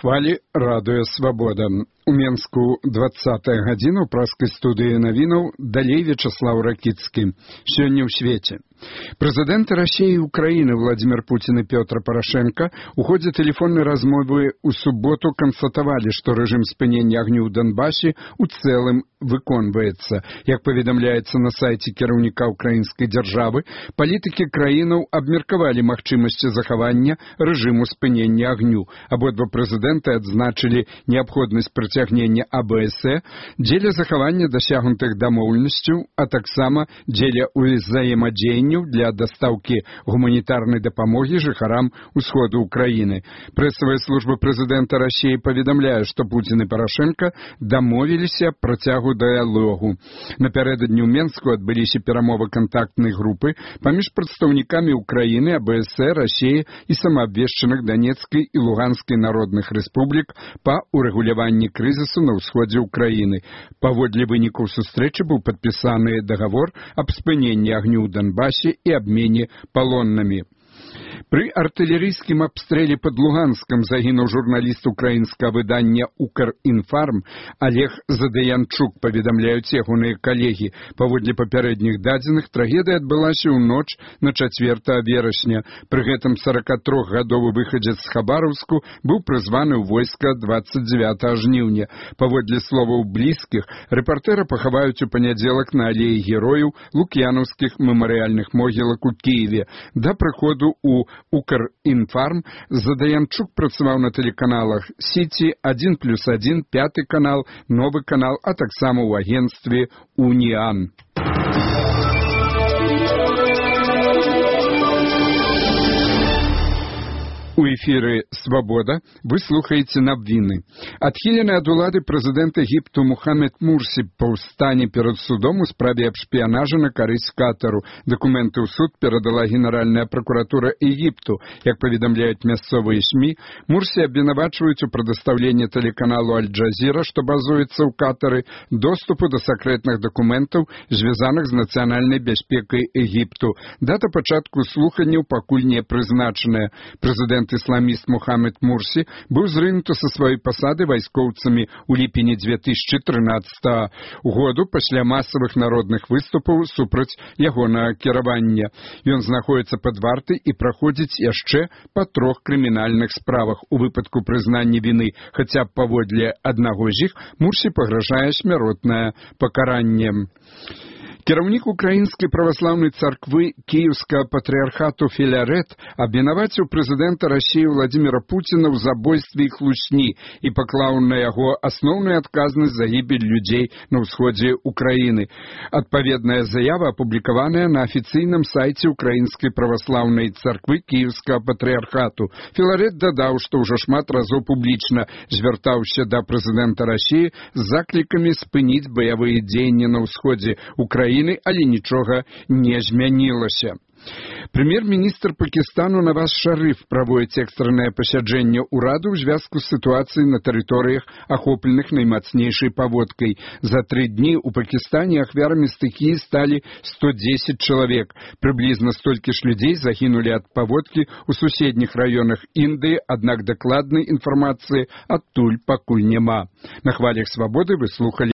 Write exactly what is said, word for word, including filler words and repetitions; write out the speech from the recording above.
хвалі радыё «Свабода». У Менску двадцатая гадзіна ў праскай студыі навінаў, далей Вячеслав Ракіцкі. Сёння ў свеце. Прэзідэнты Расіі і Украіны Владимир Путин і Пётр Порошенко у ходзе тэлефоннай размовы ў суботу канстатавалі, што рэжым спынення агню ў Донбасе у цэлым выконваецца. Як паведамляецца на сайце кіраўніка украінскай дзяржавы, палітыкі краінаў абмеркавалі магчымасці захавання рэжыму спынення агню. Абодва прэзідэнты адзначылі неабходнасць прыцягнення А Б С Э дзеля захавання дасягнутых дамоўленасцяў, а таксама дзеля ўзаемадзеянняў для дастаўкі гуманітарнай дапамогі жыхарам усходу Украіны. Прэсавая служба прэзідэнта Расіі паведамляе, што Путин і Порошенко дамовіліся працягу дыялогу. Напярэдадні ў Менску адбыліся перамовы кантактнай групы паміж прадстаўнікамі Украіны, А Б С Э, Расіі і самаабвешчаных Донецкай і Луганскай народных рэспублік па урэгуляванні крызісу на ўсходзе Украіны. Паводле вынікаў сустрэчы быў падпісаны дагавор аб спыненні агню ў Донбасе і абмене палоннымі. Пры артылерыйскім абстрэле пад Луганскам загінуў журналіст украінскага выдання «Укрінфарм» Олег Задаянчук, паведамляюць ягоныя калегі. Паводле папярэдніх дадзеных, трагедыя адбылася ў ноч на чацвёртага верасня. Пры гэтым сорокатрохгадовы выхадзец з Хабаровску быў прызваны ў войска двадцать девятага жніўня. Паводле словаў блізкіх, рэпартэра пахаваюць у панядзелак на алеі герояў лук'янаўскіх мемарыяльных могілак у Кіеве. Да прыходу у «Укрінфарм» Задаянчук працаваў на тэлеканалах «Сіці», один плюс один, пяты канал, новы канал, а таксама ў агенцтве «Уніан». У эфіры «Свабода» вы слухаеце навіны. Адхілены ад улады прэзідэнт Егіпту Мухаммед Мурсі паўстане перад судом у справе аб шпіянажы на карысць Катару. Дакументы ў суд перадала Генеральная пракуратура Егіпту. Як паведамляюць мясцовыя СМІ, Мурсі абвінавачваюць у прадастаўленні тэлеканалу Аль-Джазіра, што базуецца ў Катары, доступу да сакрэтных дакументаў, звязаных з нацыянальнай бяспекай Егіпту. Дата пачатку слуханняў пакуль не прызначаная. Прэзідэнт ісламіст Мухаммед Мурсі быў зрынуты са сваёй пасады вайскоўцамі ў ліпені две тысячы трынаццатага году пасля масавых народных выступаў супраць ягонага кіравання. Ён знаходзіцца пад вартай і праходзіць яшчэ па трох крымінальных справах у выпадку прызнання віны, хаця б паводле аднаго з іх Мурсі пагражае смяротнае пакаранне. Кіраўнік украінскай праваслаўнай царквы Кіеўскага патрыархату Філарэт абвінаваціў прэзідэнта Расіі Владимира Путина ў забойстве і хлусні і паклаў на яго асноўную адказнасць за гібель людзей на ўсходзе Украіны. Адпаведная заява апублікаваная на афіцыйным сайце украінскай праваслаўнай царквы Кіеўскага патрыархату. Філарэт дадаў, што ўжо шмат разоў публічна звяртаўся да прэзідэнта Расіі з заклікамі спыніць баявыя дзеянні на ўсходзе Украіны, але нічога не змянілася. Прэм'ер-міністр Пакістану Наваз Шарыф праводзіць экстраннае пасяджэнне ўраду ў звязку з сітуацыяй на тэрыторыях, ахопленых наймацнейшай паводкай. За тры дні ў Пакістане ахвярамі стыхіі сталі сто дзесяць чалавек. Прыблізна столькі ж людзей загінулі ад паводкі ў суседніх раёнах Індыі, аднак дакладнай інфармацыі адтуль пакуль няма. На хвалях «Свабоды» вы слухалі